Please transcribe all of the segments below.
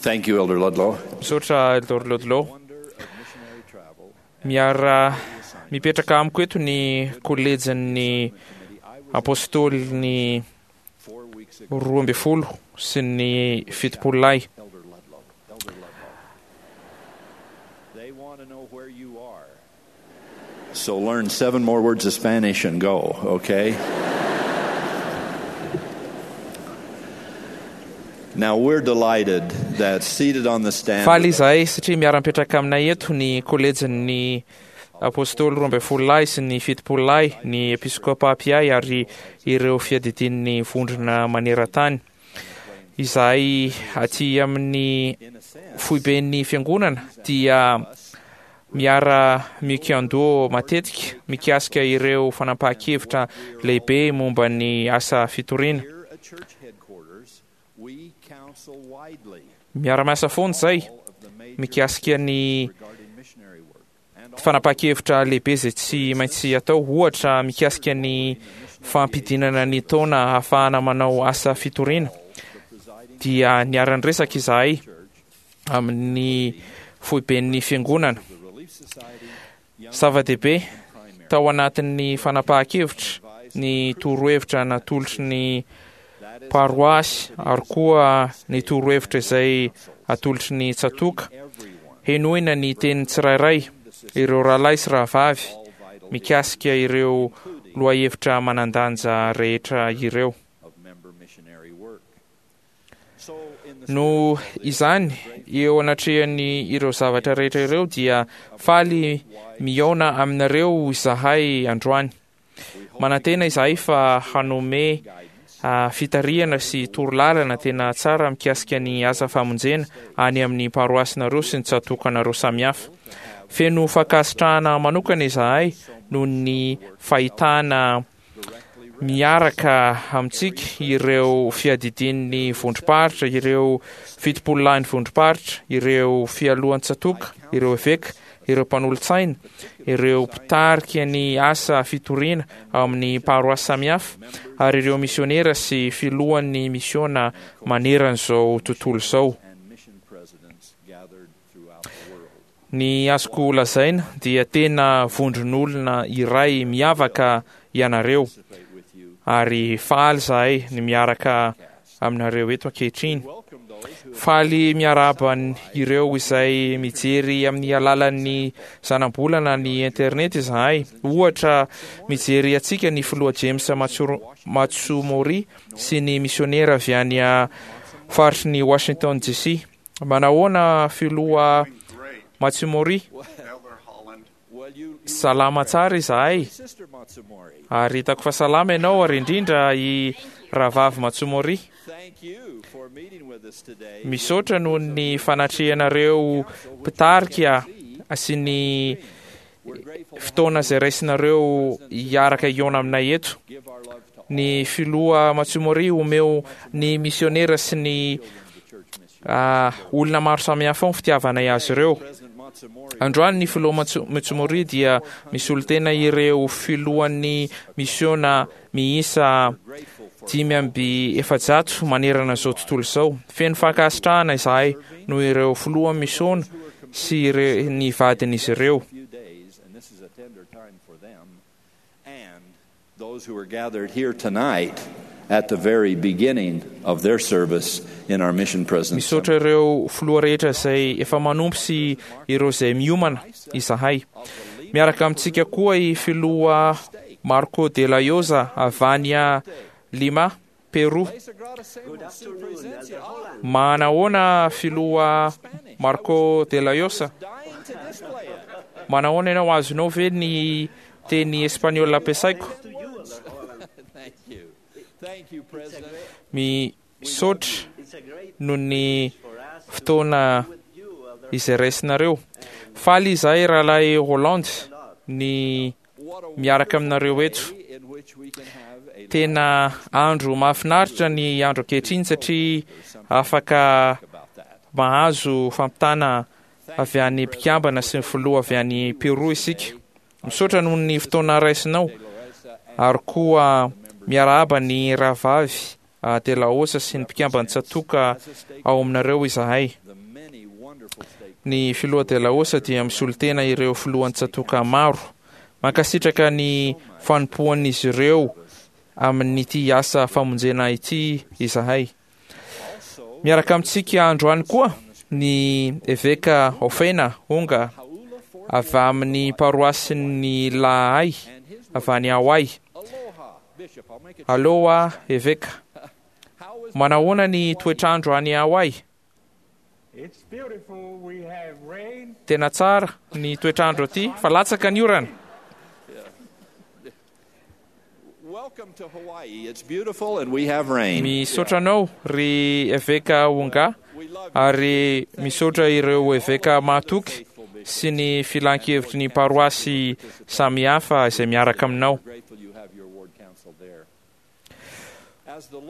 Thank you, Elder Ludlow. Misaotra Elder Ludlow. Miara mipetraka amiko eto ny kolejin'ny Apôstôlin'ny 12 sy ny 70 lahy. So learn 7 more words of Spanish and go, okay? Now we're delighted that seated on the stand. Faly izahay satria miara-mipetraka aminay eto ny kolejin'ny Apôstôly 12 lahy sy ny 70 lahy, ny episkopa mpiahy ary ireo fiadidian'ny vondrona maneran-tany. Izahay aty amin'ny foiben'ny fiangonana dia miara-mikiandoha matetika mikasika ireo fanapahan-kevitra lehibe momba ny asa fitoriana. Miara-miasa foana izay mikasika ny fanapahan-kevitra lehibe izay tsy maintsy atao, ohatra mikasika ny fampidinana ny taona ahafahana manao asa fitoriana, dia niara-niresaka izahay amin'ny foiben'ny fiangonana. Zava-dehibe tao anatin'ny fanapahan-kevitra ny torohevitra natolotry ny paroasy ary koa ny torohevitra izay atolotry ny tsatòka. Henoina ny tenin'ny tsirairay, ireo rahalahy sy rahavavy, mikasika ireo lohahevitra manan-danja rehetra ireo. Noho izany, eo anatrehan'ny ireo zavatra rehetra ireo dia faly mihaona aminareo izahay androany. Manantena izahay fa hanome fitarihana sy torolalana tena tsara mikasika ny asa famonjena any amin'ny paroasinareo sy ny tsatokanareo samihafa. Feno fankasitrahana manokana izahay noho ny fahitana miaraka amintsika ireo fiadidian'ny vondrom-paritra, ireo fitopololahin'ny vondrom-paritra, ireo fialohan-tsatoka, ireo eveka, ireo mpanolotsaina, ireo mpitarika ny asa fitoriana ao amin'ny paroasy samihafa, ary ireo misionera sy filohan'ny misiona maneran'izao tontolo izao. Ny azoko lazaina dia tena vondron'olona iray miavaka ianareo ary faly izahay ny miaraka aminareo eto ankehitriny. Faly miarahaba ireo izay mijery amin'ny alalan'ny zanabolana ny internet izahay. Ohatra, mijery antsika ny filoha James Matsumori sy ny misionera avy any faritry ny Washington DC. Manahoana filoha Matsumori? Salama tsara izahay. Ary hitako fa salama ianao ary indrindra i rahavavy Matsumori. Misaotra noho ny fanatrehanareo mpitarika sy ny fotoana izay raisinareo hiaraka hihaona aminay eto. Ny filoha Matsumori omeo ny misionera sy ny olona maro samihafa ao ny fitiavanay azy ireo. Androany ny filoha Matsumori dia misolo tena ireo filohan'ny misiona miisa 445 manerana izao tontolo izao. Feno fankasitrahana izahay noho ireo filoha misiona sy ny vadin'izy ireo. Those who are gathered here tonight at the very beginning of their service in our mission president's. Misaotra ireo filoha rehetra izay efa manompo sy ireo izay miomana izahay. Miaraka amintsika koa i filoha Marco de la Llosa avy any Lima, Peru. Manahoana filoha Marco de la Llosa? Manahoana ianao? Azonao ve ny teny espaniola ampiasaiko? Misaotra noho ny fotoana izay raisinareo. Faly izahay rahalahy Roland ny miaraka aminareo eto. Tena andro mahafinaritra ny andro ankehitriny satria afaka mahazo fampitana avy any mpikambana sy ny filoha avy any Peru isika. Misaotra noho ny fotoana raisinao ary koa miarahaba ny rahavavy. De La Osa sy ny mpikamban'ny tsatòka ao aminareo izahay. Ny Filoha De La Osa dia misolo tena ireo filohan'ny tsatòka maro. Mankasitraka ny fanompoan'izy ireo amin'ity asa famonjena ity izahay. Miaraka amintsika androany koa ny Eveka Ofena Onga avy amin'ny paroasin'ny Lahay avy any Hawaii. Aloha Eveka. Manahoana ny toetr'andro any Hawaii? Tena tsara ny toetr'andro aty fa latsaka ny orana. Misaotra anao ry Eveka Onga ary misaotra ireo Eveka mahatoky sy ny filankevitry ny paroasy samihafa izay miaraka aminao.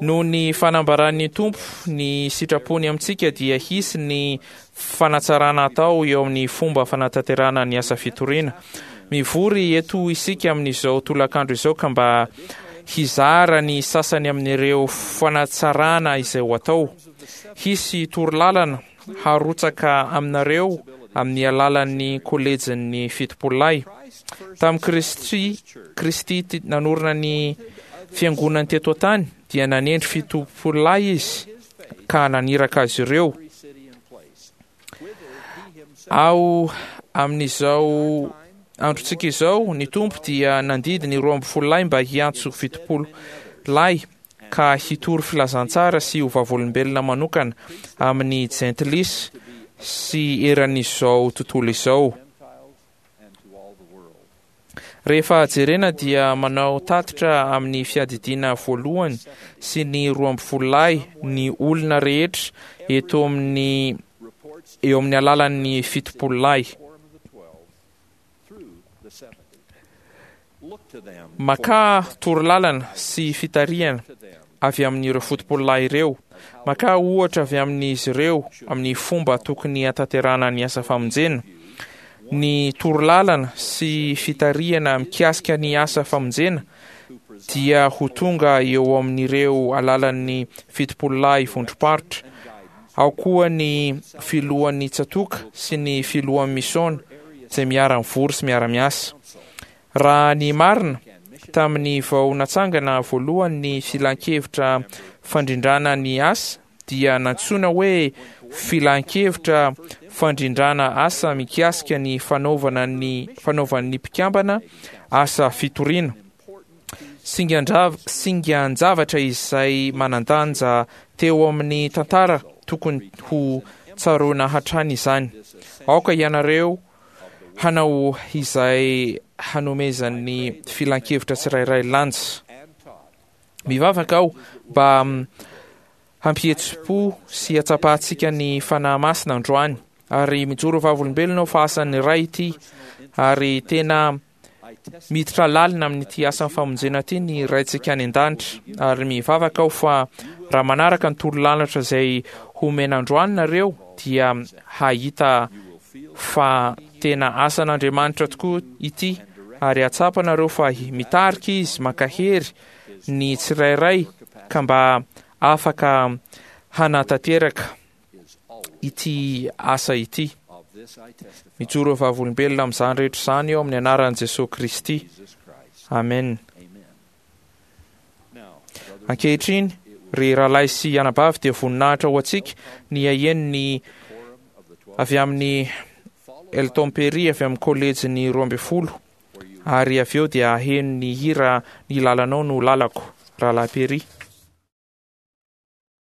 Noho ny fanambaran'ny Tompo ny sitrapony amintsika dia hisy ny fanatsarana atao eo amin'ny fomba fanatanterahana ny asa fitoriana. Mivory eto isika amin'izao tolakandro izao ka mba hizara ny sasany amin'ireo fanatsarana izay ho atao. Hisy torolalana harotsaka aminareo amin'ny alalan'ny kolejin'ny Fitopololahy. Tamin'i Kristy, Kristy nanorina ny fiangonany teto an-tany dia nanendry fitopololahy izy ka naniraka azy ireo. Ao amin'izao androntsika izao, ny Tompo dia nandidy ny 12 lahy mba hiantso 70 lahy ka hitory filazantsara sy ho vavolombelona manokana amin'ny jentilisa sy eran'izao tontolo izao. Rehefa jerena dia manao tatitra amin'ny fiadidiana voalohany sy ny 12 lahy ny olona rehetra eto amin'ny eo amin'ny alalan'ny 70 lahy. Makà torolalana sy fitarihana avy amin'ireo fotopololahy ireo. Makà ohatra avy amin'izy ireo amin'ny fomba tokony hatanterahana ny asa famonjena. Ny torolalana sy fitarihana mikasika ny asa famonjena dia ho tonga eo amin'ireo alalan'ny fitopololahy vondrom-paritra. Ao koa ny filohan'ny tsatòka sy ny filohan'ny misiôna izay miara-mivory sy miara-miasa. Raha ny marina, tamin'ny vao natsangana voalohany ny Filankevitra Fandrindrana ny Asa dia nantsoina hoe Filankevitra Fandrindrana Asa mikasika ny fanaovana ny fanaovan'ny mpikambana asa fitoriana. Singan-javatra izay manan-danja teo amin'ny tantara tokony ho tsaroana hatrany izany. Aoka ianareo hanao izay hanomezan'ny filankevitra tsirairay lanja. Mivavaka aho mba hampihetsi-po sy hatsapantsika ny Fanahy Masina androany, ary mijoro vavolombelona aho fa asan'ny Ray ity, ary tena miditra lalina amin'ity asan'ny famonjena ity ny Raintsika any an-danitra, ary mivavaka aho fa raha manaraka ny torolalatra izay homena androany nareo dia hahita fa tena asan'Andriamanitra tokoa ity, ary hahatsapa nareo fa mitarika Izy mankahery ny tsirairay ka mba afaka hanatanteraka ity asa ity. Mijoro ho vavolombelona amin'izany rehetra izany eo amin'ny anaran'i Jesoa Kristy. Amen. Ankehitriny, ry rahalahy sy anabavy, dia voninahitra ho antsika ny haheno ny avy amin'ny Elton Perry avy amin'ny kolejin'ny 12 ary avy eo dia haheno ny hira Ny lalanao no lalako, Rahalahy Perry.